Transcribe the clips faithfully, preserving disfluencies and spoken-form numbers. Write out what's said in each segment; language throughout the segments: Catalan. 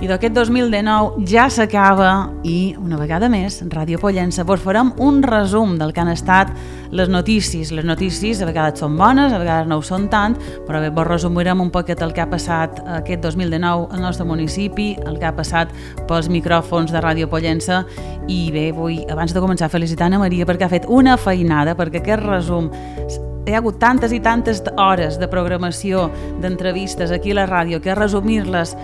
I d'aquest dos mil dinou ja s'acaba i, una vegada més, Ràdio Pollença vos farem un resum del que han estat les notícies. Les notícies a vegades són bones, a vegades no ho són tant, però bé, vos resumirem un poquet el que ha passat aquest dos mil dinou al nostre municipi, el que ha passat pels micròfons de Ràdio Pollença. I bé, vull, abans de començar, felicitar Ana Maria perquè ha fet una feinada, perquè aquest resum... Hi ha hagut tantes i tantes hores de programació, d'entrevistes aquí a la ràdio, que resumir-les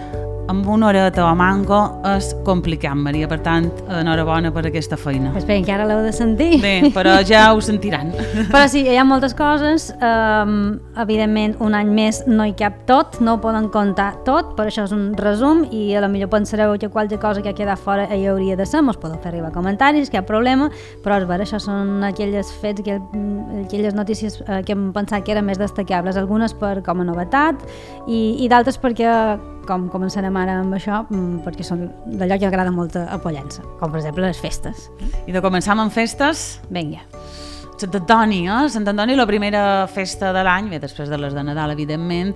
amb una horeta o manco és complicat, Maria. Per tant, enhorabona per aquesta feina. Espera, que ara l'heu de sentir. Bé, però ja ho sentiran. Però sí, hi ha moltes coses. Um, evidentment, un any més no hi cap tot, no ho poden comptar tot, per això és un resum, i a la millor pensareu que qualque cosa que ha quedat fora hi hauria de ser, mos podeu fer arribar comentaris, cap problema, però és vera, això són aquelles fets, aquelles notícies que hem pensat que eren més destacables, algunes per com a novetat i, i d'altres perquè, com començarem ara amb això, perquè són d'allò que agrada molt a Pollença, com per exemple les festes. I de començar amb festes? Vinga. Sant Antoni, eh? Sant Antoni, la primera festa de l'any, bé, després de les de Nadal, evidentment,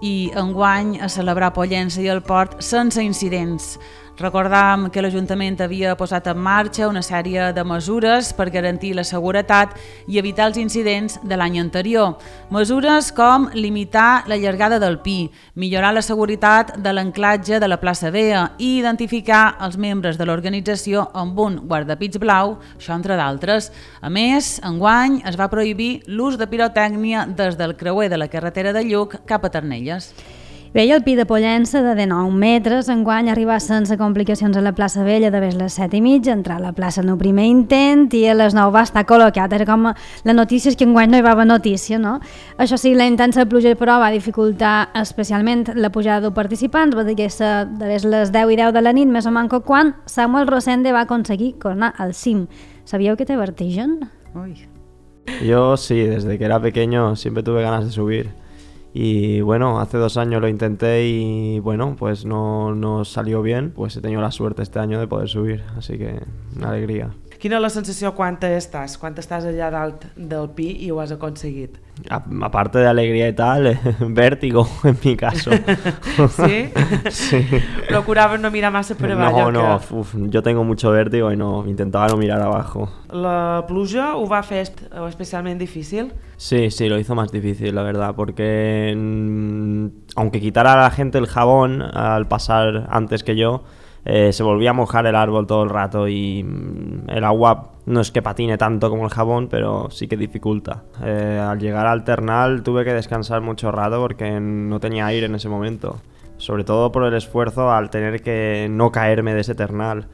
i enguany a celebrar Pollença i el Port sense incidents. Recordàvem que l'Ajuntament havia posat en marxa una sèrie de mesures per garantir la seguretat i evitar els incidents de l'any anterior. Mesures com limitar la llargada del pi, millorar la seguretat de l'anclatge de la plaça Bea i identificar els membres de l'organització amb un guardapits blau, això entre d'altres. A més, enguany es va prohibir l'ús de pirotècnia des del creuer de la carretera de Lluc cap a Ternelles. Bé, el pi de Pollença de dinou metres enguany arriba sense complicacions a la plaça Vella de les set i mitja, entrar a la plaça en el primer intent i a les nou va estar col·locat. Era com la notícia és que enguany no hi va haver notícia, no? Això sí, la intensa pluja però va dificultar especialment la pujada de participants, va dir que de les deu i deu de la nit, més o manco, quan Samuel Rosende va aconseguir coronar al cim. ¿Sabíeu que té vertigen? Uy. Yo sí, desde que era pequeño siempre tuve ganas de subir. Y bueno, hace dos años lo intenté y bueno, pues no, no salió bien, pues he tenido la suerte este año de poder subir, así que una alegría. Quina és la sensació quan estàs, quan estàs allà dalt del pi i ho has aconseguit? A, aparte de alegría y tal, vértigo en mi caso. ¿Sí? Sí. Procuraves no mirar massa per avall. No, no, que... uf, yo tengo mucho vértigo y no, intentaba no mirar abajo. La pluja ho va fer especialment difícil? Sí, sí, lo hizo más difícil, la verdad, porque aunque quitara a la gente el jabón al pasar antes que yo, Eh, se volvía a mojar el árbol todo el rato y mm, el agua no es que patine tanto como el jabón, pero sí que dificulta. Eh, al llegar al Ternal tuve que descansar mucho rato porque no tenía aire en ese momento, sobre todo por el esfuerzo al tener que no caerme de ese Ternal.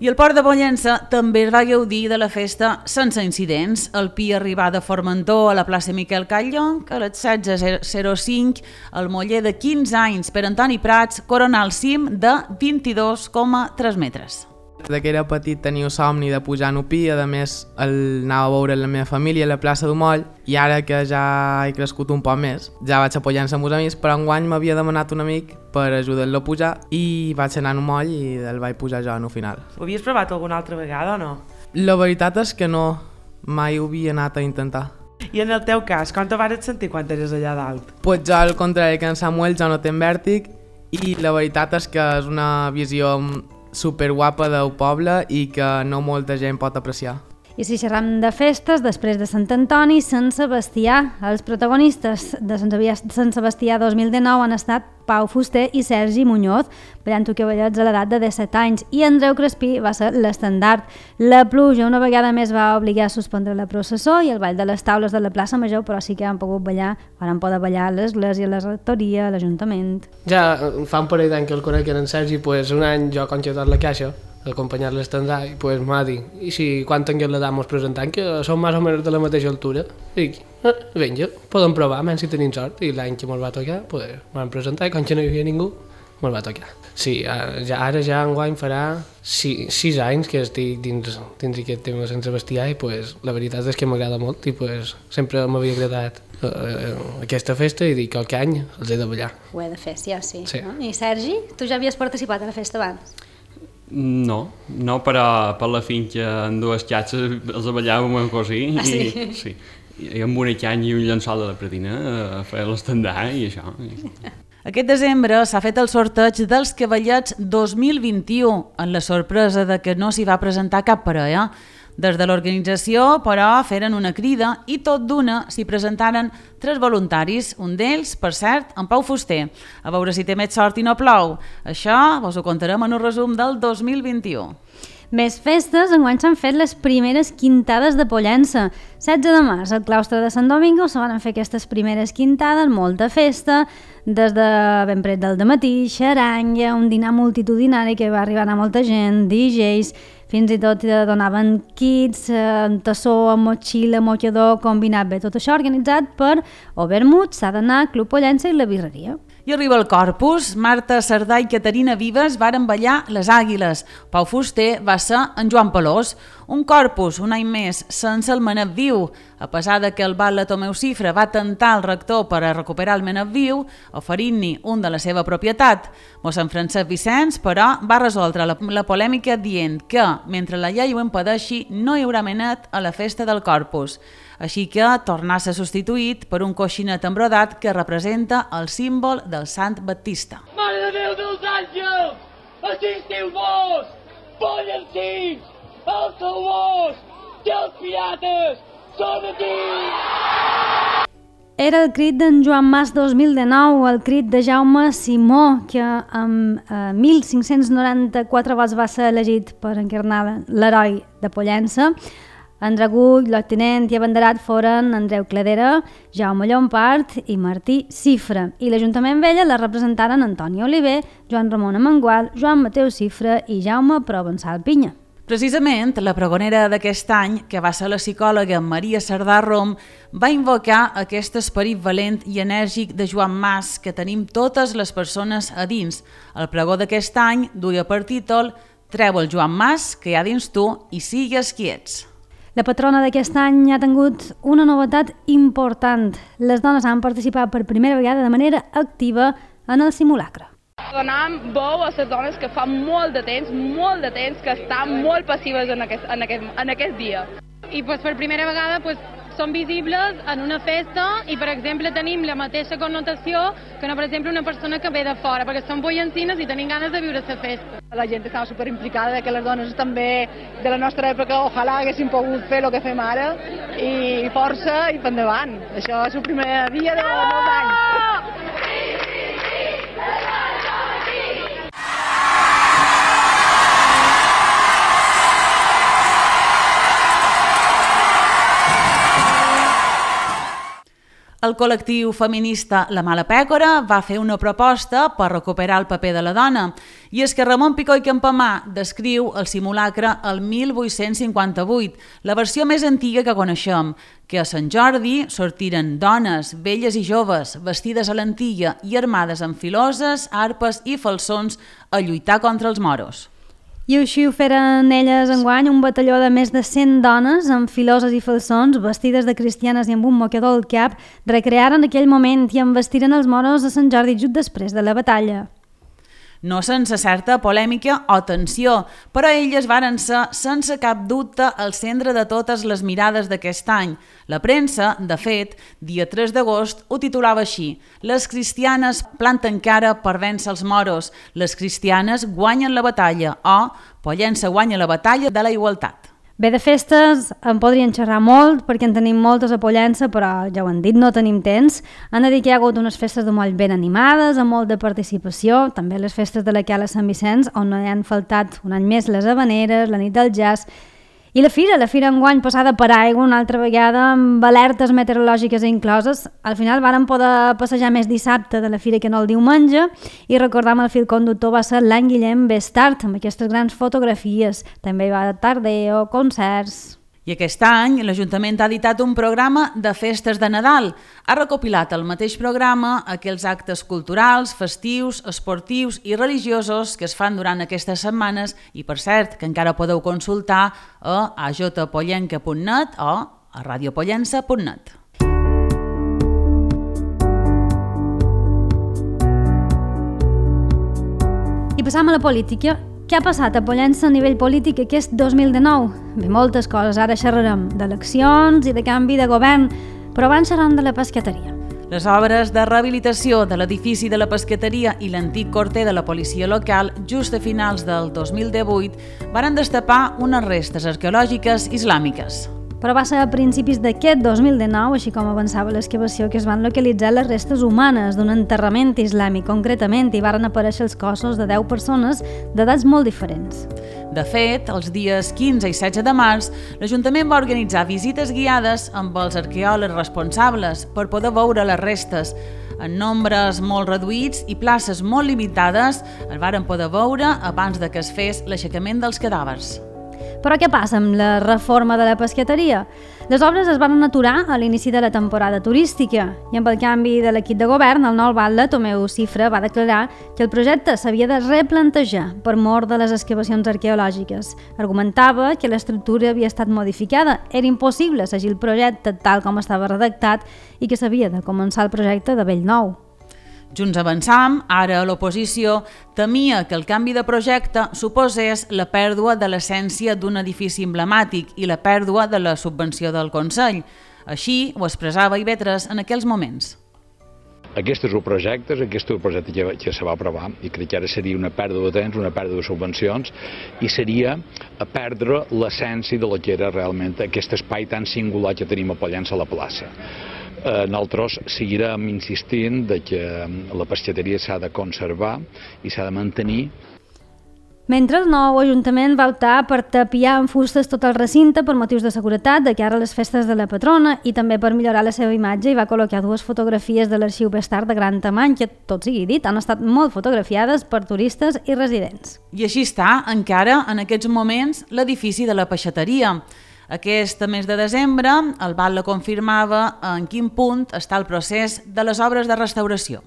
I el Port de Pollença també es va gaudir de la festa sense incidents. El pi arribà de Formentor a la plaça Miquel Catllon, que a les setze zero cinc el moller de quinze anys per Antoni Prats coronà el cim de vint-i-dos coma tres metres. De que era petit tenia somni de pujar en pi, a més el anava a veure la meva família a la plaça d'Omoll, i ara que ja he crescut un poc més, ja vaig a Pollença amb els amics, però enguany m'havia demanat un amic per ajudar-lo a pujar i vaig anar a Omoll i el vaig pujar jo en el final. Ho havies provat alguna altra vegada o no? La veritat és que no, mai ho havia anat a intentar. I en el teu cas, com te vas sentir quan eres allà dalt? Pues jo, al contrari que en Samuel, jo no tenc vèrtic i la veritat és que és una visió super guapa del poble i que no molta gent pot apreciar. I si xerram de festes, després de Sant Antoni, Sant Sebastià. Els protagonistes de Sant Sebastià dos mil dinou han estat Pau Fuster i Sergi Muñoz, ballant toqueballets a l'edat de disset anys, i Andreu Crespí va ser l'estendard. La pluja una vegada més va obligar a suspendre la processó i el ball de les taules de la plaça Major, però sí que han pogut ballar, van poder ballar a l'església, a la rectoria, a l'Ajuntament. Ja fa un parell d'any que el conec en Sergi, pues un any jo conxo tot la caixa, acompanyar l'estendard, i pues m'ha dit, i si quan tinguem l'edat mos presentant, que som més o menys de la mateixa altura, i eh, vinga, podem provar, menys si tenim sort, i l'any que mos va tocar, pues m'han presentat, i quan no hi havia ningú, mos va tocar. Sí, ja, ara ja enguany farà sis, sis anys que estic dins, dins aquest tema de Sant Sebastià, i pues la veritat és que m'agrada molt, i pues sempre m'havia agradat eh, aquesta festa, i dic que aquest any els he de ballar. Ho he de fer, sí o sí. Sí. No? I Sergi, tu ja havies participat a la festa abans? No, no, però per la finca en dues xatxes els ballàvem amb cosí, ah, sí? I, sí, i amb una canya i un llençol de la pretina a fer l'estendard i això. Aquest desembre s'ha fet el sorteig dels Cavallets dos mil vint-i-u, amb la sorpresa de que no s'hi va presentar cap parella. Des de l'organització, però, feren una crida i tot d'una s'hi presentaren tres voluntaris, un d'ells, per cert, en Pau Fuster. A veure si té més sort i no plou. Això vos ho contarem en un resum del dos mil vint-i-u. Més festes, enguany s'han fet les primeres quintades de Pollença. setze de març, al claustre de Sant Domingo se van fer aquestes primeres quintades, molta festa, des de ben pret del dematí, xaranga, un dinar multitudinari que va arribar a molta gent, D Js, fins i tot donaven kits, eh, tassó, motxilla, mocador, combinat bé. Tot això organitzat per Overmut, S'ha d'anar, Club Pollença i la Birreria. I arriba el Corpus. Marta Cerdà i Caterina Vives varen ballar les Àguiles. Pau Fuster va ser en Joan Pelós. Un Corpus, un any més, sense el Menet Viu. A pesar de que el batlle Tomeu Cifra va tentar el rector per a recuperar el Menet Viu, oferint-ni un de la seva propietat. Mossèn Francesc Vicenç, però, va resoldre la, la polèmica dient que, mentre la llei ho impedeixi, no hi haurà Menet a la festa del Corpus. Així que tornà a ser substituït per un coixinet embrodat que representa el símbol del Sant Baptista. Mare de Déu dels àngels! Assistiu-vos! Pollencins! Els salvors! I els pirates! Som aquí! Era el crit d'en Joan Mas dos mil dinou, el crit de Jaume Simó, que amb eh, mil cinc-cents noranta-quatre vots va ser elegit per encarnar l'heroi de Pollença. En Dragull, l'Octinent i abanderat foren Andreu Cladera, Jaume Llompart i Martí Cifra. I l'Ajuntament Vella la representaren Antoni Oliver, Joan Ramon Amengual, Joan Mateu Cifra i Jaume Provençal Pinya. Precisament, la pregonera d'aquest any, que va ser la psicòloga Maria Cerdà Rom, va invocar aquest esperit valent i enèrgic de Joan Mas que tenim totes les persones a dins. El pregó d'aquest any duia per títol «Treu el Joan Mas que hi ha dins tu i sigues qui ets». La patrona d'aquest any ha tingut una novetat important. Les dones han participat per primera vegada de manera activa en el simulacre. Donam veu a les dones que fa molt de temps, molt de temps, que estan molt passives en aquest, en aquest, en aquest dia. I pues, per primera vegada pues, són visibles en una festa i, per exemple, tenim la mateixa connotació que, no, per exemple, una persona que ve de fora, perquè són pollencines i tenim ganes de viure la festa. La gent estava superimplicada, de que les dones també de la nostra època, ojalà haguéssim pogut fer el que fem ara, i força i per endavant. Això és el primer dia de nou anys. El col·lectiu feminista La Mala Pècora va fer una proposta per recuperar el paper de la dona, i és que Ramon Picó i Campamà descriu el simulacre el mil vuit-cents cinquanta-vuit, la versió més antiga que coneixem, que a Sant Jordi sortiren dones, velles i joves, vestides a l'antilla i armades amb filoses, arpes i falsons a lluitar contra els moros. I així ho feren elles enguany, un batalló de més de cent dones amb filoses i falsons, vestides de cristianes i amb un mocador al cap, recrearen aquell moment i embestiren els moros a Sant Jordi just després de la batalla. No sense certa polèmica o tensió, però elles varen ser, sense cap dubte, el centre de totes les mirades d'aquest any. La premsa, de fet, dia tres d'agost, ho titulava així: «Les cristianes planten cara per vèncer els moros, les cristianes guanyen la batalla» o «Pollença guanya la batalla de la igualtat». Bé, de festes en podrien xerrar molt perquè en tenim moltes a Pollença, però ja ho han dit, no tenim temps. Han de dir que hi ha hagut unes festes de moll ben animades, amb molt de participació, també les festes de la Cala Sant Vicenç, on no hi han faltat un any més les habaneres, la nit del jazz. I la fira, la fira enguany passada per aigua una altra vegada amb alertes meteorològiques incloses. Al final varen poder passejar més dissabte de la fira que no el diumenge i recordam el fil conductor va ser l'any Guillem Bestart amb aquestes grans fotografies. També hi va tardeo, concerts... I aquest any l'Ajuntament ha editat un programa de festes de Nadal. Ha recopilat al mateix programa aquells actes culturals, festius, esportius i religiosos que es fan durant aquestes setmanes i, per cert, que encara podeu consultar a a j pollenca punt net o a radiopollença punt net. I passam a la política. Què ha passat a Pollença a nivell polític aquest dos mil dinou? Bé, moltes coses. Ara xerrarem d'eleccions i de canvi de govern, però abans xerrarem de la pescateria. Les obres de rehabilitació de l'edifici de la pesqueteria i l'antic corter de la policia local, just a finals del dos mil divuit, varen destapar unes restes arqueològiques islàmiques. Però va ser a principis d'aquest dos mil dinou, així com avançava l'excavació, que es van localitzar les restes humanes d'un enterrament islàmic, concretament, i varen aparèixer els cossos de deu persones d'edats molt diferents. De fet, els dies quinze i setze de març, l'Ajuntament va organitzar visites guiades amb els arqueòlegs responsables per poder veure les restes. En nombres molt reduïts i places molt limitades es varen poder veure abans de que es fes l'aixecament dels cadàvers. Però què passa amb la reforma de la pesqueteria? Les obres es van aturar a l'inici de la temporada turística i amb el canvi de l'equip de govern, el nou batlle, Tomeu Cifra, va declarar que el projecte s'havia de replantejar per mor de les excavacions arqueològiques. Argumentava que l'estructura havia estat modificada, era impossible seguir el projecte tal com estava redactat i que s'havia de començar el projecte de bell nou. Junts Avançam, ara a l'oposició, temia que el canvi de projecte suposés la pèrdua de l'essència d'un edifici emblemàtic i la pèrdua de la subvenció del Consell. Així ho expressava Ivetres en aquells moments. Aquest és el projecte, aquest és el projecte que, que se va aprovar i crec que ara seria una pèrdua de temps, una pèrdua de subvencions i seria a perdre l'essència de lo que era realment aquest espai tan singular que tenim a Pollença a la plaça. Nosaltres seguirem insistint de que la pesqueteria s'ha de conservar i s'ha de mantenir. Mentre el nou Ajuntament va optar per tapiar amb fustes tot el recinte per motius de seguretat de cara a les festes de la patrona i també per millorar la seva imatge i va col·locar dues fotografies de l'arxiu Bestard de gran tamany que, tot sigui dit, han estat molt fotografiades per turistes i residents. I així està, encara, en aquests moments, l'edifici de la peixateria. Aquest mes de desembre, el batlle confirmava en quin punt està el procés de les obres de restauració.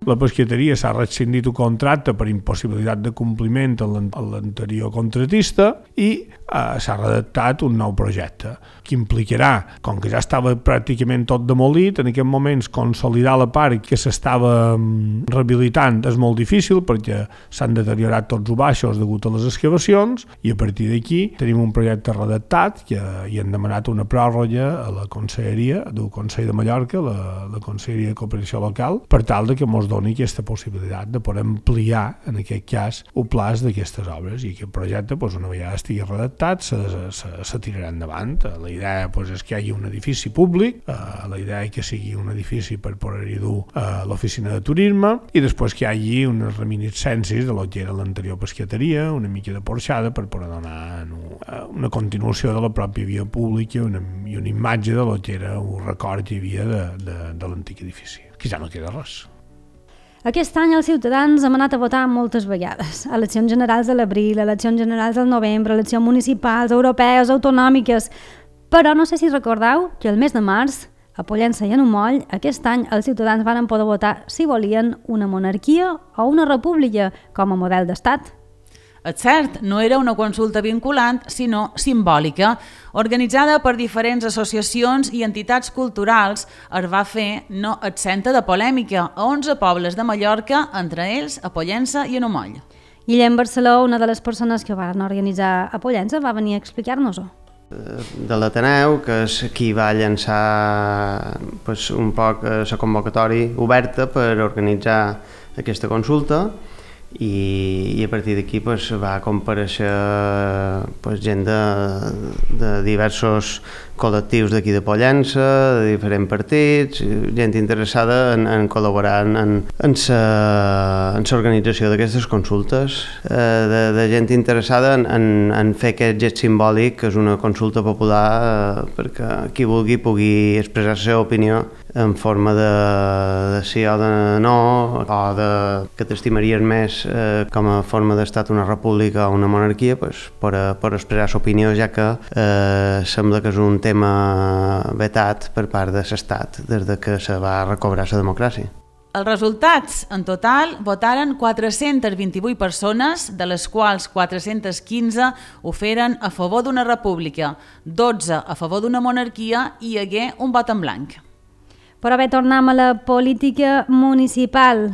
La pesqueteria s'ha rescindit un contracte per impossibilitat de compliment a l'anterior contratista i eh, s'ha redactat un nou projecte que implicarà, com que ja estava pràcticament tot demolit, en aquests moments consolidar la part que s'estava rehabilitant és molt difícil perquè s'han deteriorat tots els baixos degut a les excavacions i a partir d'aquí tenim un projecte redactat que hi han demanat una pròrroga a la Conselleria del Consell de Mallorca, la, la Conselleria de Cooperació Local, per tal de que ens doni aquesta possibilitat de poder ampliar, en aquest cas, el plaç d'aquestes obres i aquest projecte, doncs, una vegada estigui redactat, se, se, se tirarà endavant. La idea doncs, és que hi hagi un edifici públic, eh, la idea és que sigui un edifici per poder-hi dur eh, l'oficina de turisme i després que hi hagi unes reminiscències de lo que era l'anterior pesqueteria, una mica de porxada per poder donar una, una continuació de la pròpia via pública una, i una imatge de lo que era un record que hi havia de, de, de l'antic edifici, que ja no queda res. Aquest any els ciutadans hem anat a votar moltes vegades. Eleccions generals de l'abril, eleccions generals del novembre, eleccions municipals, europees, autonòmiques... Però no sé si recordeu que el mes de març, a Pollença i a Numoll, aquest any els ciutadans van poder votar si volien una monarquia o una república com a model d'estat. És cert, no era una consulta vinculant, sinó simbòlica. Organitzada per diferents associacions i entitats culturals, es va fer no exenta de polèmica a onze pobles de Mallorca, entre ells a Pollença i a Numoll. Guillem Barceló, una de les persones que van organitzar a Pollença, va venir a explicar-nos-ho. De l'Ateneu, que és qui va llançar pues, un poc la convocatòria oberta per organitzar aquesta consulta i, i a partir d'aquí pues, va comparèixer pues, gent de, de diversos col·lectius d'aquí de Pollença, de diferents partits, gent interessada en, en col·laborar en, en l'organització d'aquestes consultes, eh, de, de gent interessada en, en, en fer aquest gest simbòlic, que és una consulta popular, eh, perquè qui vulgui pugui expressar la seva opinió en forma de, de sí o de no, o de que t'estimaries més eh, com a forma d'estat una república o una monarquia, pues, per, per expressar l'opinió, ja que eh, sembla que és un tema vetat per part de l'estat des de que se va recobrar la democràcia. Els resultats, en total, votaren quatre-centes vint-i-vuit persones, de les quals quatre-centes quinze ho feren a favor d'una república, dotze a favor d'una monarquia i hi hagué un vot en blanc. Però bé, tornem a la política municipal.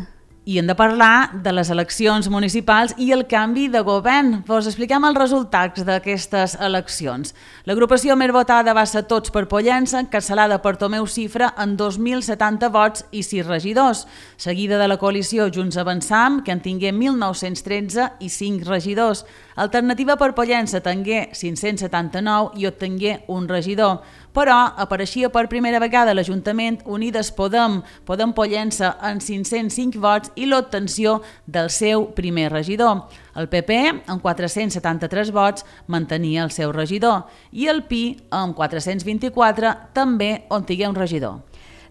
I hem de parlar de les eleccions municipals i el canvi de govern. Vos expliquem els resultats d'aquestes eleccions. L'agrupació més votada va ser Tots per Pollença, encapçalada per Tomeu Cifra, amb dos mil setanta vots i sis regidors, seguida de la coalició Junts Avançam, que en tingué mil nou-cents tretze i cinc regidors. Alternativa per Pollença tingué cinc-cents setanta-nou i obtingué un regidor. Però apareixia per primera vegada l'Ajuntament Unides Podem, Podem Pollença, amb cinc-cents cinc vots i l'obtenció del seu primer regidor. El P P, amb quatre-cents setanta-tres vots, mantenia el seu regidor i el P I, amb quatre-cents vint-i-quatre, també obtingué un regidor.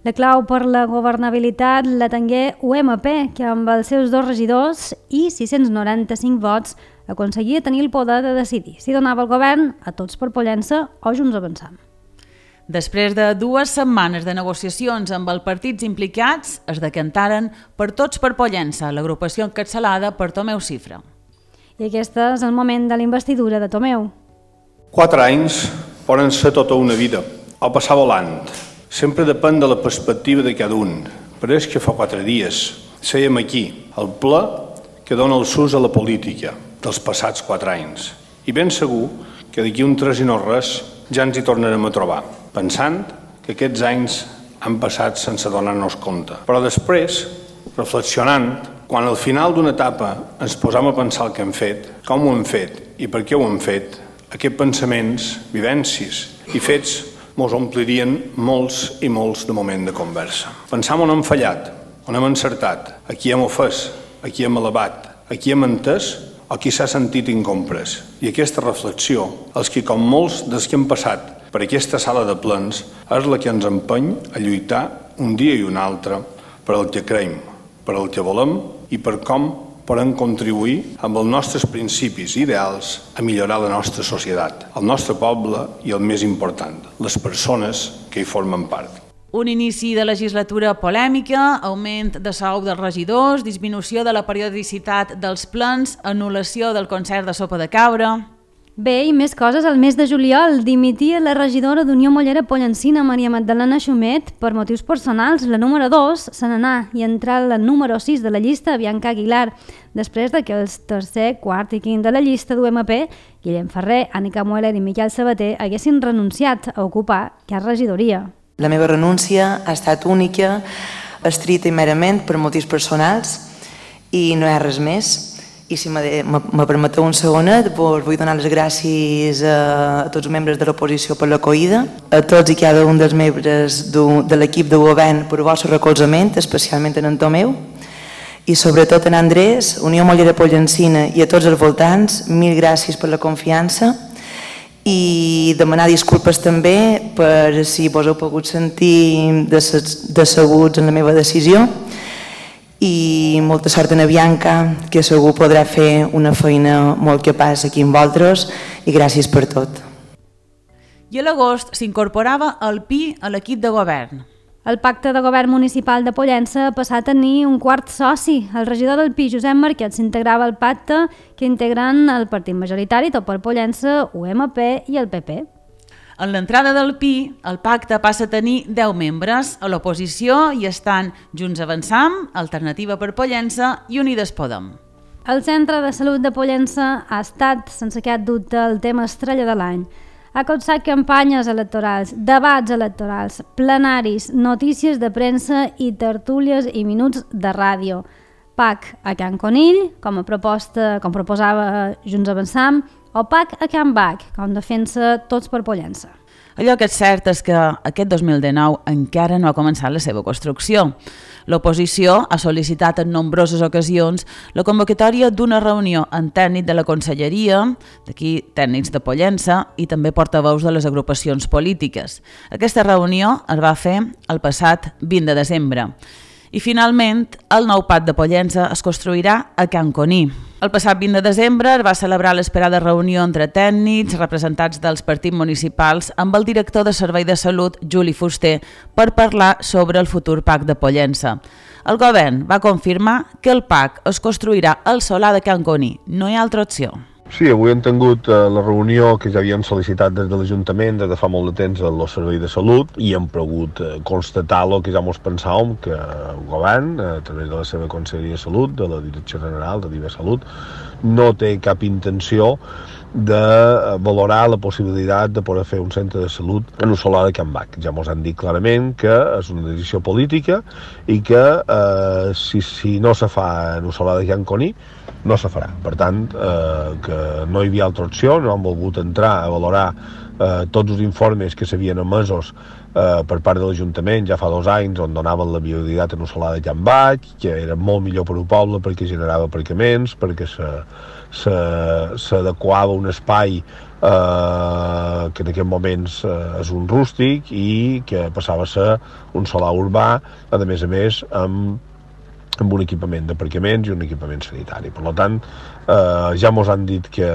La clau per la governabilitat la tingué U M P, que amb els seus dos regidors i sis-cents noranta-cinc vots aconseguia tenir el poder de decidir si donava el govern a Tots per Pollença o Junts Avançam. Després de dues setmanes de negociacions amb els partits implicats, es decantaren per Tots per Pollença, l'agrupació encapçalada per Tomeu Cifra. I aquest és el moment de la investidura de Tomeu. Quatre anys poden ser tota una vida, o passar volant. Sempre depèn de la perspectiva de cada un. Però és que fa quatre dies sèiem aquí, al ple que dona el sus a la política dels passats quatre anys. I ben segur que d'aquí un tres i no res ja ens hi tornarem a trobar, pensant que aquests anys han passat sense donar-nos compte. Però després, reflexionant, quan al final d'una etapa ens posam a pensar el que hem fet, com ho hem fet i per què ho hem fet, aquests pensaments, vivències i fets mos omplirien molts i molts de moment de conversa. Pensam on hem fallat, on hem encertat, a qui hem ofès, a qui hem elevat, a qui hem entès o qui s'ha sentit incomprès. I aquesta reflexió, els que com molts dels que hem passat per aquesta sala de plens, és la que ens empeny a lluitar un dia i un altre per al que creiem, per al que volem i per com podem contribuir amb els nostres principis i ideals a millorar la nostra societat, el nostre poble i el més important, les persones que hi formen part. Un inici de legislatura polèmica, augment de sou dels regidors, disminució de la periodicitat dels plens, anul·lació del concert de sopa de cabra... Bé, i més coses. El mes de juliol dimitia la regidora d'Unió Mollera Pollencina, Maria Magdalena Xumet, per motius personals. La número dos se n'anà i entrà la número sis de la llista, Bianca Aguilar, després de que els tercer, quart i quint de la llista d'U M P, Guillem Ferrer, Ànica Mueller i Miquel Sabater, haguessin renunciat a ocupar aquesta regidoria. La meva renúncia ha estat única, estricta i merament per motius personals i no hi ha res més. I si me permeteu un segonet, vull donar les gràcies a tots els membres de l'oposició per l'acollida, a tots i cada un dels membres de l'equip de govern per el vostre recolzament, especialment en Tomeu, i sobretot en Andrés, Unió Mollera Pollencina i a tots els voltants, mil gràcies per la confiança i demanar disculpes també per si vos heu pogut sentir decebuts en la meva decisió. I molta sort a la Bianca, que segur podrà fer una feina molt capaç aquí amb vosaltres, i gràcies per tot. I a l'agost s'incorporava el P I a l'equip de govern. El pacte de govern municipal de Pollença ha passat a tenir un quart soci. El regidor del P I, Josep Marquet, s'integrava al pacte que integren el partit majoritari, Tot per Pollença, U M P i el P P. En l'entrada del P I, el pacte passa a tenir deu membres. A l'oposició hi estan Junts Avançam, Alternativa per Pollença i Unides Podem. El Centre de Salut de Pollença ha estat, sense cap dubte, el tema estrella de l'any. Ha causat campanyes electorals, debats electorals, plenaris, notícies de premsa i tertúlies i minuts de ràdio. P A C a Can Conill, com a proposta, com proposava Junts Avançam, o P A C a Can Bac, com defensa Tots per Pollença. Allò que és cert és que aquest dos mil dinou encara no ha començat la seva construcció. L'oposició ha sol·licitat en nombroses ocasions la convocatòria d'una reunió amb tècnic de la Conselleria, d'aquí tècnics de Pollença, i també portaveus de les agrupacions polítiques. Aquesta reunió es va fer el passat vint de desembre. I finalment, el nou P A C de Pollença es construirà a Can Coní. El passat vint de desembre es va celebrar l'esperada reunió entre tècnics, representats dels partits municipals, amb el director de Servei de Salut, Juli Fuster, per parlar sobre el futur P A C de Pollença. El govern va confirmar que el P A C es construirà al solar de Can Coní. No hi ha altra opció. Sí, avui hem tingut eh, la reunió que ja havien sol·licitat des de l'Ajuntament des de fa molt de temps el Servei de Salut i hem pogut eh, constatar el que ja ens pensàvem, que el govern, a través de la seva Conselleria de Salut, de la Direcció General de Diva Salut, no té cap intenció de valorar la possibilitat de poder fer un centre de salut en Ossolà de Can Bac. Ja ens han dit clarament que és una decisió política i que eh, si, si no se fa en Ossolà de Can Coní, no se farà. Per tant, eh, que no hi havia altra opció, no han volgut entrar a valorar eh, tots els informes que s'havien emesos eh, per part de l'Ajuntament ja fa dos anys on donaven la viabilitat en Ossolà de Can Bac, que era molt millor per al poble perquè generava aparcaments, perquè s'adequava un espai eh, que en aquests moments eh, és un rústic i que passava a ser un solar urbà, a més a més amb amb un equipament d'aparcaments i un equipament sanitari. Per tant, eh, ja ens han dit que,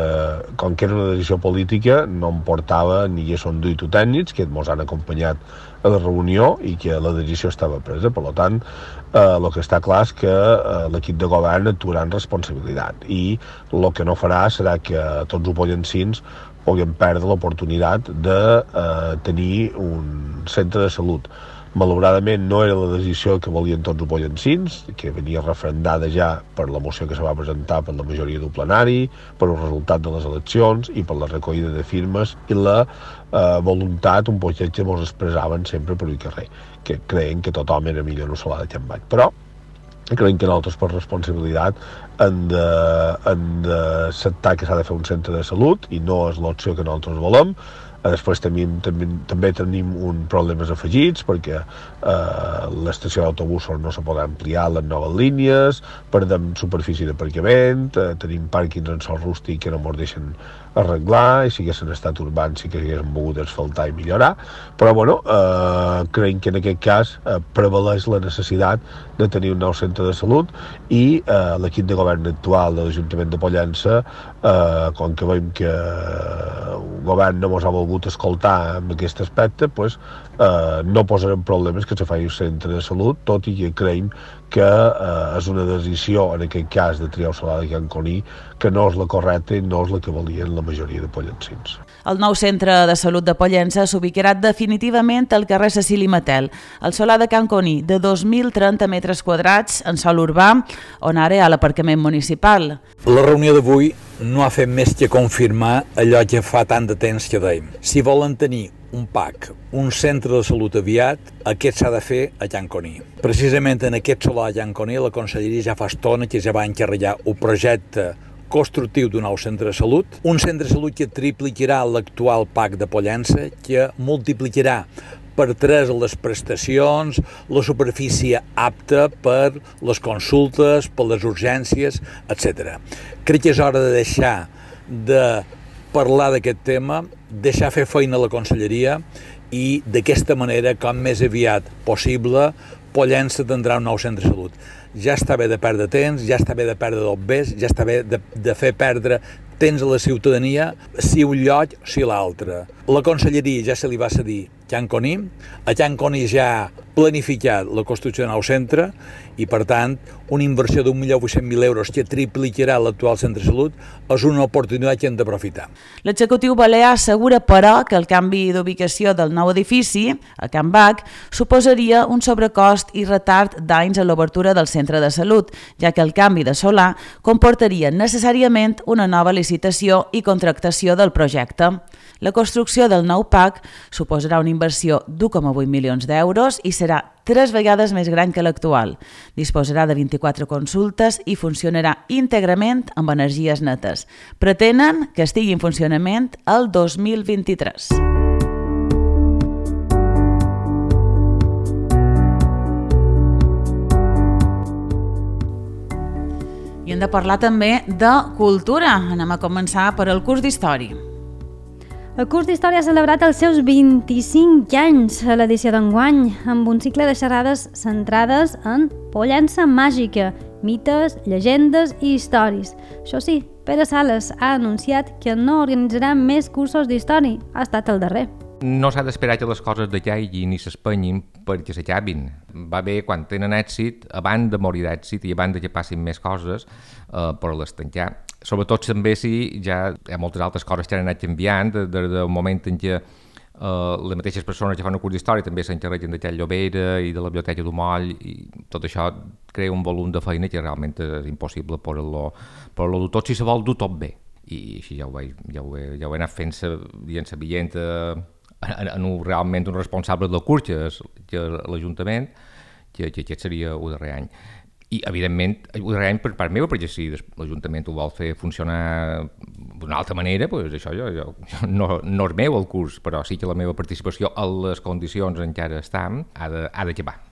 com que era una decisió política, no em portava ni són duit o tècnics, que ens han acompanyat a la reunió i que la decisió estava presa. Per tant, eh, el que està clar és que eh, l'equip de govern actuarà en responsabilitat i el que no farà serà que tots els pollencins puguem perdre l'oportunitat de eh, tenir un centre de salut. Malauradament no era la decisió que volien tots els pollencins, que venia referendada ja per la moció que se va presentar per la majoria del plenari, per el resultat de les eleccions i per la recollida de firmes i la eh, voluntat, un poquet que ens expressaven sempre per el carrer, que creien que tothom era millor en Ossolà de Can Bac. Però creiem que nosaltres per responsabilitat hem d'acceptar que s'ha de fer un centre de salut i no és l'opció que nosaltres volem. Després tenim, també, també tenim un problemes afegits perquè eh, l'estació d'autobusos no se pot ampliar les noves línies, perdem superfície d'aparcament, eh, tenim pàrquings en sòl rústic que no ens deixen arreglar i si haguessin estat urbans sí que haguessin volgut asfaltar i millorar, però bueno, eh, creiem que en aquest cas eh, prevaleix la necessitat de tenir un nou centre de salut i eh, l'equip de govern actual de l'Ajuntament de Pollença, eh, com que veiem que el govern no ens ha volgut escoltar en aquest aspecte, pues, eh, no posarem problemes que se faci un centre de salut, tot i que creiem que eh, és una decisió, en aquest cas de triar Ossolà de Can Coní, que no és la correcta i no és la que volien la majoria de pollencins. El nou centre de salut de Pollença s'ubicarà definitivament al carrer Cecili Matel, al solar de Can Coní, de dos mil trenta metres quadrats en sòl urbà, on ara hi ha l'aparcament municipal. La reunió d'avui no ha fet més que confirmar allò que fa tant de temps que dèiem. Si volen tenir un P A C, un centre de salut aviat, aquest s'ha de fer a Can Coní. Precisament en aquest solar de Can Coní la Conselleria ja fa estona que ja va encarregar un projecte constructiu d'un nou centre de salut, un centre de salut que triplicarà l'actual P A C de Pollença, que multiplicarà per tres les prestacions, la superfície apta per les consultes, per les urgències, etcètera. Crec que és hora de deixar de parlar d'aquest tema, deixar fer feina a la Conselleria i d'aquesta manera, com més aviat possible, Pollença tindrà un nou centre de salut. Ja està bé de perdre temps, ja està bé de perdre dobbers, ja està bé de, de fer perdre temps a la ciutadania, si un lloc, si l'altre. La Conselleria ja se li va cedir Can Coní, a Can Coní ja ha planificat la construcció de nou centre i, per tant, una inversió d'un milió vuit-cents mil euros que triplicarà l'actual centre de salut és una oportunitat que hem d'aprofitar. L'executiu balear assegura, però, que el canvi d'ubicació del nou edifici, a Can Bac, suposaria un sobrecost i retard d'anys a l'obertura del centre de salut, ja que el canvi de solar comportaria necessàriament una nova licitació i contractació del projecte. La construcció del nou P A C suposarà una inversió d'u coma vuit milions d'euros i serà tres vegades més gran que l'actual. Disposarà de vint-i-quatre consultes i funcionarà íntegrament amb energies netes. Pretenen que estigui en funcionament el dos mil vint-i-tres. I hem de parlar també de cultura. Anem a començar per el curs d'història. El curs d'Història ha celebrat els seus vint-i-cinc anys a l'edició d'enguany, amb un cicle de xerrades centrades en Pollença màgica, mites, llegendes i històries. Això sí, Pere Sales ha anunciat que no organitzarà més cursos d'història, ha estat el darrer. No s'ha d'esperar que les coses decaiguin ni s'espenyin perquè s'acabin. Va bé quan tenen èxit, abans de morir d'èxit i abans que passin més coses, eh, per les tancar. Sobretot també si ja hi ha moltes altres coses que han anat canviant, des del moment en què Uh, les mateixes persones que fan un curs d'història també s'encarreguen de Tell Llobera i de la Biblioteca du Moll, i tot això crea un volum de feina que realment és impossible per-lo dur tot si se vol dur tot bé. I així ja ho, vaig, ja ho, he, ja ho he anat fent dient sa veient en, en un, realment un responsable del curs, que és, que és l'Ajuntament, que, que aquest seria el darrer any. I, evidentment, el darrer any per part meva, perquè si l'Ajuntament ho vol fer funcionar d'una altra manera, doncs això jo, jo, no, no és meu el curs, però sí que la meva participació a les condicions en què ara estem ha d'acabar.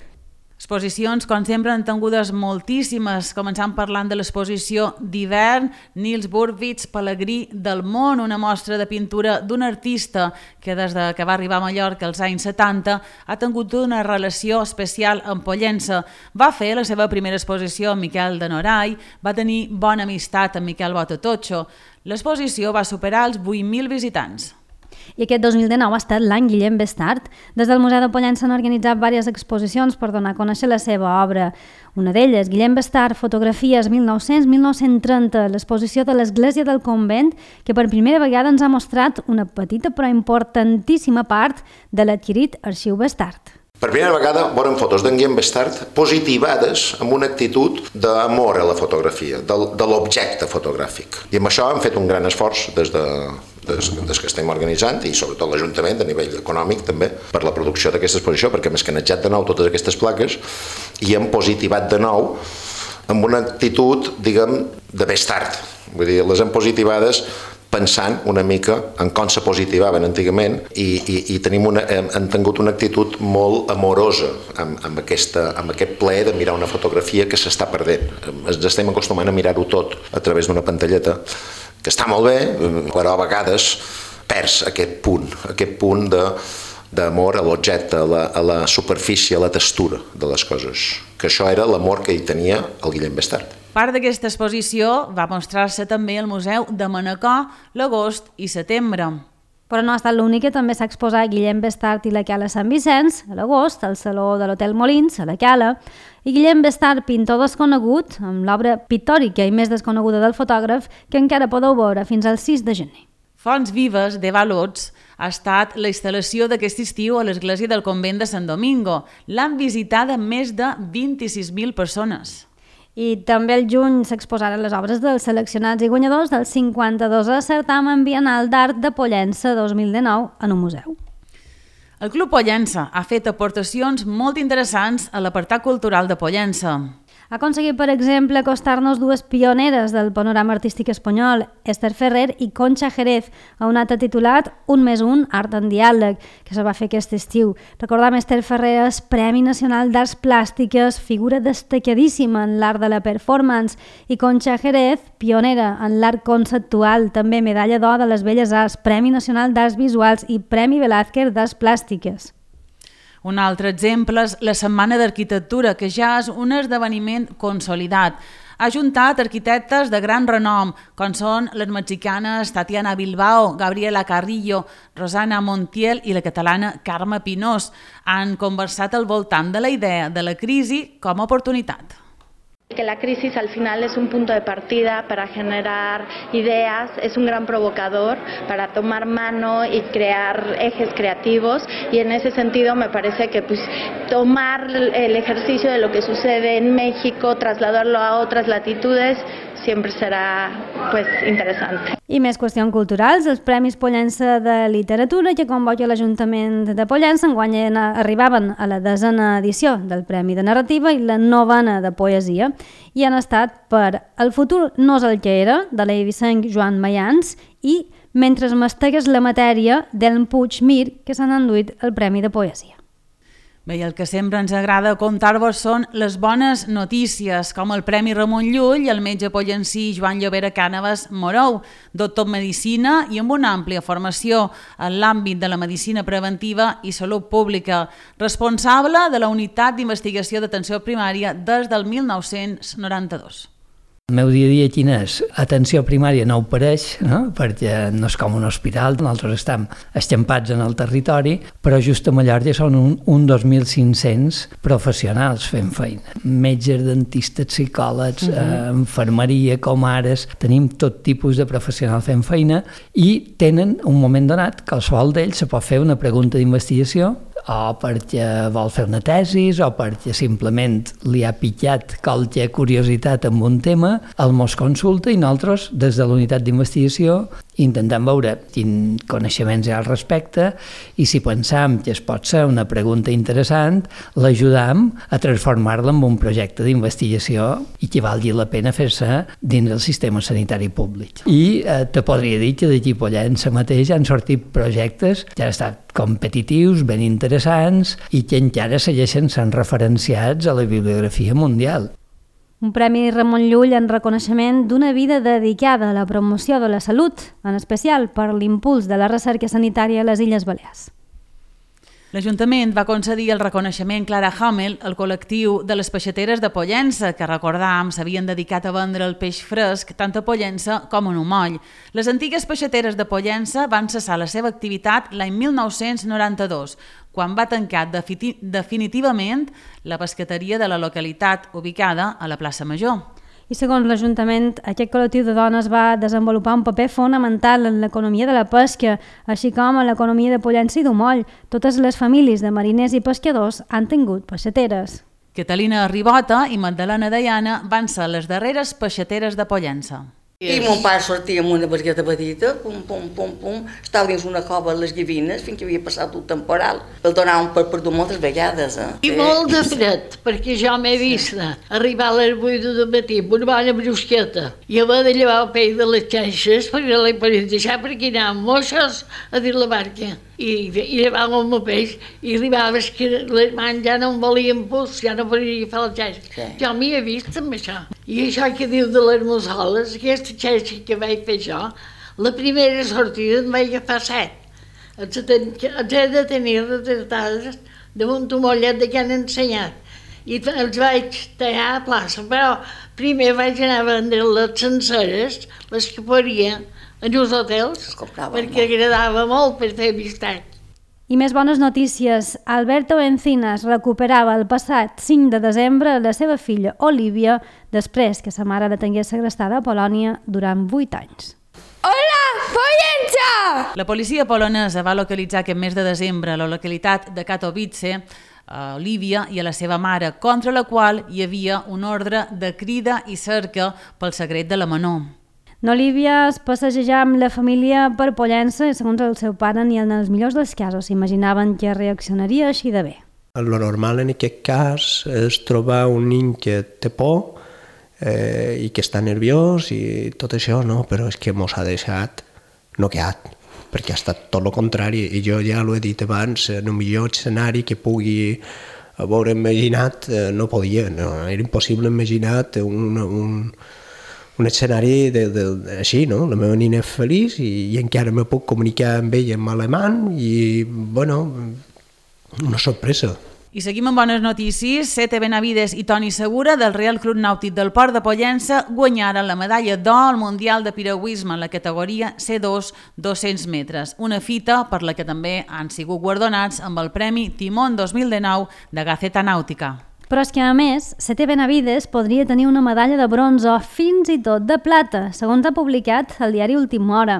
Exposicions, com sempre, han tingudes moltíssimes, començant parlant de l'exposició d'hivern Nils Burwitz, Pelegrí del món, una mostra de pintura d'un artista que des de que va arribar a Mallorca als anys setanta ha tingut una relació especial amb Pollença. Va fer la seva primera exposició amb Miquel de Noray, va tenir bona amistat amb Miquel Botatotxo. L'exposició va superar els vuit mil visitants. I aquest dos mil dinou ha estat l'any Guillem Bestart. Des del Museu de Pollença han organitzat diverses exposicions per donar a conèixer la seva obra. Una d'elles, Guillem Bestart, fotografies mil nou-cents a mil nou-cents trenta, l'exposició de l'Església del Convent, que per primera vegada ens ha mostrat una petita però importantíssima part de l'adquirit Arxiu Bestart. Per primera vegada veurem fotos d'en Guillem Bestart positivades amb una actitud d'amor a la fotografia, de, de l'objecte fotogràfic. I amb això hem fet un gran esforç des de, des, des que estem organitzant, i sobretot l'Ajuntament a nivell econòmic també, per la producció d'aquesta exposició, perquè hem escanejat de nou totes aquestes plaques i hem positivat de nou amb una actitud, diguem, de Bestart. Vull dir, les hem positivades pensant una mica en com se positivaven antigament i, i, i tenim una, hem, hem tingut una actitud molt amorosa amb, amb, aquesta, amb aquest plaer de mirar una fotografia que s'està perdent. Ens estem acostumant a mirar-ho tot a través d'una pantalleta, que està molt bé, però a vegades perds aquest punt, aquest punt de d'amor a l'objecte, a, la, a la superfície, a la textura de les coses. Que això era l'amor que hi tenia el Guillem Bestart. Part d'aquesta exposició va mostrar-se també al Museu de Manacor l'agost i setembre. Però no ha estat l'única, també s'ha exposat Guillem Bestart i la Cala Sant Vicenç, a l'agost, al Saló de l'Hotel Molins, a la Cala, i Guillem Bestart, pintor desconegut, amb l'obra pictòrica i més desconeguda del fotògraf, que encara podeu veure fins al sis de gener. Fonts vives de Valots ha estat la instal·lació d'aquest estiu a l'església del convent de Sant Domingo. L'han visitada més de vint-i-sis mil persones. I també el juny s'exposaren les obres dels seleccionats i guanyadors del cinquanta-dosè certamen biennal d'art de Pollença dos mil dinou en un museu. El Club Pollença ha fet aportacions molt interessants a l'apartat cultural de Pollença. Ha aconseguit, per exemple, acostar-nos dues pioneres del panorama artístic espanyol, Esther Ferrer i Concha Jerez, a un acte titulat Un més un, Art en Diàleg, que se va fer aquest estiu. Recordam, Esther Ferrer és Premi Nacional d'Arts Plàstiques, figura destacadíssima en l'art de la performance, i Concha Jerez, pionera en l'art conceptual, també medalla d'or de les Belles Arts, Premi Nacional d'Arts Visuals i Premi Velázquez d'Arts Plàstiques. Un altre exemple és la Setmana d'Arquitectura, que ja és un esdeveniment consolidat. Ha ajuntat arquitectes de gran renom, com són les mexicanes Tatiana Bilbao, Gabriela Carrillo, Rosana Montiel i la catalana Carme Pinós. Han conversat al voltant de la idea de la crisi com a oportunitat. Que la crisis al final es un punto de partida para generar ideas, es un gran provocador para tomar mano y crear ejes creativos, y en ese sentido me parece que pues, tomar el ejercicio de lo que sucede en México, trasladarlo a otras latitudes, siempre serà pues, interessant. I més qüestions culturals, els Premis Pollença de Literatura que convoca l'Ajuntament de Pollença enguany arribaven a la desena edició del Premi de Narrativa i la novena de Poesia, i han estat per El futur no és el que era, de l'eivissenc Joan Mayans, i Mentre mastegues la matèria, d'Elm Puig Mir, que s'han enduit el Premi de Poesia. Bé, i el que sempre ens agrada contar-vos són les bones notícies, com el Premi Ramon Llull i el metge pollencí Joan Llobera Cànovas Morou, doctor en Medicina i amb una àmplia formació en l'àmbit de la medicina preventiva i salut pública, responsable de la Unitat d'Investigació d'Atenció Primària des del mil nou-cents noranta-dos. El meu dia a dia quin és? Atenció primària no ofereix, no? Perquè no és com un hospital, nosaltres estem escampats en el territori, però just a Mallorca són un, un dos mil cinc-cents professionals fent feina. Metges, dentistes, psicòlegs, uh-huh. eh, infermeria, comares, tenim tot tipus de professionals fent feina i tenen un moment donat que qualsevol d'ells se pot fer una pregunta d'investigació o perquè vol fer una tesis o perquè simplement li ha pitjat qualque curiositat amb un tema, el mos consulta i nosaltres, des de la unitat d'investigació, intentem veure quin coneixements hi ha al respecte i si pensam que es pot ser una pregunta interessant, l'ajudam a transformar-la en un projecte d'investigació i que valgui la pena fer-se dins del sistema sanitari públic. I eh, te podria dir que d'aquí a Pollença mateix han sortit projectes que han estat competitius, ben interessants i que encara segueixen sent referenciats a la bibliografia mundial. Un premi Ramon Llull en reconeixement d'una vida dedicada a la promoció de la salut, en especial per l'impuls de la recerca sanitària a les Illes Balears. L'Ajuntament va concedir el reconeixement Clara Hamel al col·lectiu de les peixateres de Pollença, que recordàvem s'havien dedicat a vendre el peix fresc tant a Pollença com a Numoll. Les antigues peixateres de Pollença van cessar la seva activitat l'any mil nou-cents noranta-dos, quan va tancar definitivament la pescateria de la localitat ubicada a la plaça Major. I segons l'Ajuntament, aquest col·lectiu de dones va desenvolupar un paper fonamental en l'economia de la pesca, així com en l'economia de Pollença i d'Umoll. Totes les famílies de mariners i pescadors han tingut peixateres. Catalina Ribota i Magdalena Deiana van ser les darreres peixateres de Pollença. I mon pare sortia amb una barqueta petita, pum, pum, pum, pum, estava dins una cova a les Gavines fins que havia passat el temporal. El donaven per perdut moltes vegades. Eh? I molt de fred, perquè jo m'he vist arribar a les vuit del matí amb una bona brusqueta i haver de llevar el peix de les xanxes perquè l'he pogut deixar perquè anàvem moixos a dir la barca. I, i llevàvem el peix i arribaves que les mans ja no em volien puls, ja no podia agafar les xanxes. Sí. Jo m'hi he vist amb això. I això que diu de les mussoles, aquesta xanxa que vaig fer jo, la primera sortida em vaig agafar set. Els he de tenir retratades damunt un mollet de que han ensenyat. I els vaig tallar a plaça, però primer vaig anar a vendre les senceres, les que faria en els hotels, perquè agradava molt per fer amistat. I més bones notícies. Alberto Encinas recuperava el passat cinc de desembre la seva filla Olivia després que sa mare la tingués segrestada a Polònia durant vuit anys. Hola, Pollença! La policia polonesa va localitzar aquest mes de desembre a la localitat de Katowice a Olivia i a la seva mare, contra la qual hi havia un ordre de crida i cerca pel secret de la menor. N'Olivia es passeja amb la família per Pollença i segons el seu pare ni en els millors dels casos s'imaginaven que reaccionaria així de bé. El normal en aquest cas és trobar un nen que té por eh, i que està nerviós i tot això, no? Però és que mos ha deixat noqueat, perquè ha estat tot el contrari i jo ja l'ho he dit abans, en el millor escenari que pugui haver imaginat eh, no podia, no? Era impossible imaginar un... un un escenari de, de, de, així, no? La meva nina és feliç i, i encara me puc comunicar amb ella en alemany i, bueno, una sorpresa. I seguim amb bones notícies. Sete Benavides i Toni Segura del Real Club Nàutic del Port de Pollença guanyaren la medalla d'or al Mundial de Piragüisme en la categoria C dos dos-cents metres, una fita per la que també han sigut guardonats amb el Premi Timón dos mil dinou de Gaceta Nàutica. Però és que, a més, Sete Benavides podria tenir una medalla de bronze o fins i tot de plata, segons ha publicat el diari Última Hora.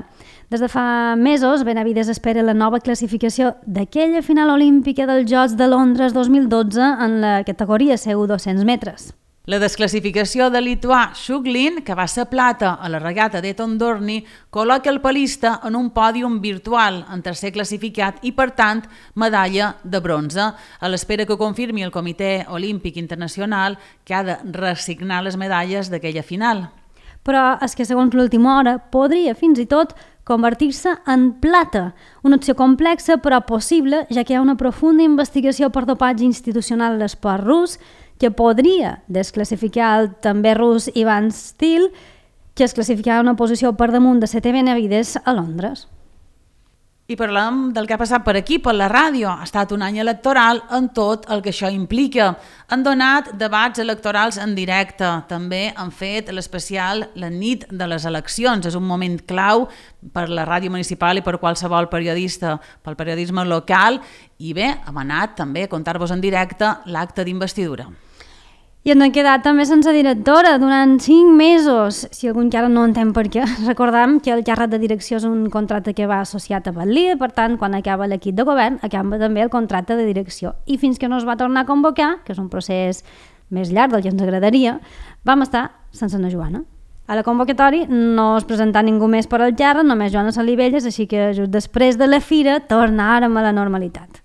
Des de fa mesos, Benavides espera la nova classificació d'aquella final olímpica dels Jocs de Londres dos mil dotze en la categoria C u dos-cents metres. La desclassificació de lituà Shuglin, que va ser plata a la regata d'Eton Dorney, col·loca el palista en un pòdium virtual en tercer classificat i, per tant, medalla de bronze, a l'espera que confirmi el Comitè Olímpic Internacional que ha de reassignar les medalles d'aquella final. Però és que, segons l'Última Hora, podria fins i tot convertir-se en plata, una opció complexa però possible, ja que hi ha una profunda investigació per dopatge institucional a l'esport rus, que podria desclassificar el també rus Ivan Stil, que es classificava una posició per damunt de Sete Benavides a Londres. I parlem del que ha passat per aquí, per la ràdio. Ha estat un any electoral en tot el que això implica. Han donat debats electorals en directe. També han fet l'especial la nit de les eleccions. És un moment clau per la ràdio municipal i per qualsevol periodista, pel periodisme local. I bé, hem anat també a contar-vos en directe l'acte d'investidura. I ens hem quedat també sense directora durant cinc mesos, si algú encara no entén per què. Recordem que el càrrec de direcció és un contracte que va associat a Batlí, per tant, quan acaba l'equip de govern, acaba també el contracte de direcció. I fins que no es va tornar a convocar, que és un procés més llarg del que ens agradaria, vam estar sense na Joana. A la convocatòria no es presentà ningú més per al càrrec, només Joana Salivelles, així que just després de la fira tornàrem a la normalitat.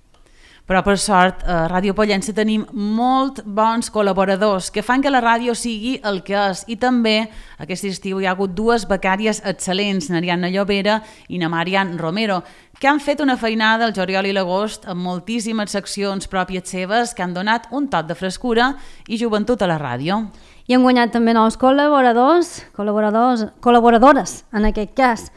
Però per sort a Ràdio Pollença tenim molt bons col·laboradors que fan que la ràdio sigui el que és, i també aquest estiu hi ha hagut dues becàries excel·lents, n'Ariadna Llobera i na Marian Romero, que han fet una feinada al juliol i l'agost amb moltíssimes seccions pròpies seves que han donat un toc de frescura i joventut a la ràdio. I han guanyat també nous col·laboradors, col·laboradors, col·laboradores en aquest cas,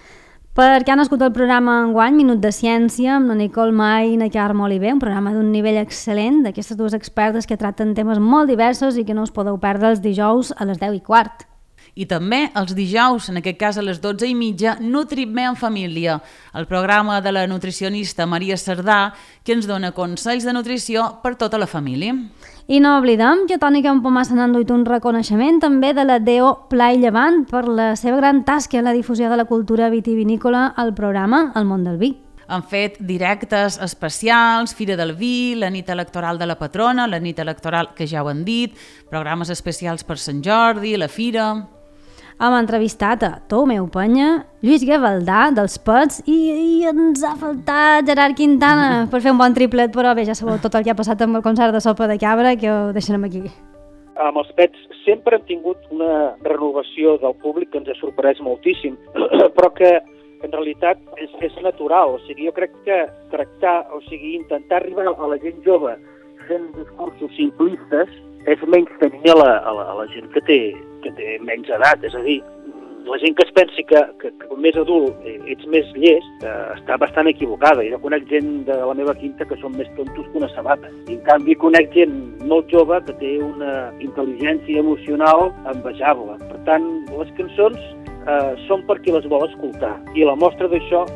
perquè han nascut el programa enguany Minut de Ciència amb la Nicole Mai i na Carme Oliver, un programa d'un nivell excel·lent d'aquestes dues expertes que tracten temes molt diversos i que no us podeu perdre els dijous a les deu i quart. I també els dijous, en aquest cas a les dotze i mitja, Nutri-me en família, el programa de la nutricionista Maria Cerdà, que ens dona consells de nutrició per tota la família. I no oblidem que Toni Campomassa n'ha enduit un reconeixement també de la D O Pla i Llevant per la seva gran tasca en la difusió de la cultura vitivinícola al programa El món del vi. Han fet directes especials, Fira del Vi, la nit electoral de la patrona, la nit electoral que ja ho han dit, programes especials per Sant Jordi, la Fira... Hem entrevistat a Tomeu Penya, Lluís Gavaldà, dels Pets, i, i ens ha faltat Gerard Quintana per fer un bon triplet, però bé, ja sabeu tot el que ha passat amb el concert de Sopa de Cabra, que ho deixarem aquí. Amb els Pets sempre hem tingut una renovació del públic que ens ha sorprès moltíssim, però que en realitat és, és natural. O sigui, jo crec que tractar, o sigui, intentar arribar a la gent jove fent discursos simplistes és menys tenir a la, a la, a la gent que té, que té menys edat. És a dir, la gent que es pensi que, que, que més adult ets més llest eh, està bastant equivocada. Jo conec gent de la meva quinta que són més tontos que una sabata. I en canvi conec gent molt jove que té una intel·ligència emocional envejable. Per tant, les cançons eh, són per qui les vol escoltar. I la mostra d'això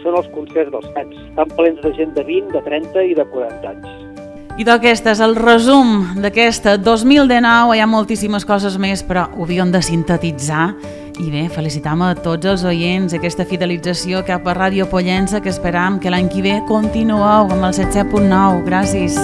són els concerts dels Pets. Estan plens de gent de vint, de trenta i de quaranta anys. I d'aquest és el resum d'aquesta dos mil dinou. Hi ha moltíssimes coses més, però ho havíem de sintetitzar. I bé, felicitam a tots els oients aquesta fidelització cap a Ràdio Pollença, que esperam que l'any que ve continueu amb el setze punt nou. Gràcies.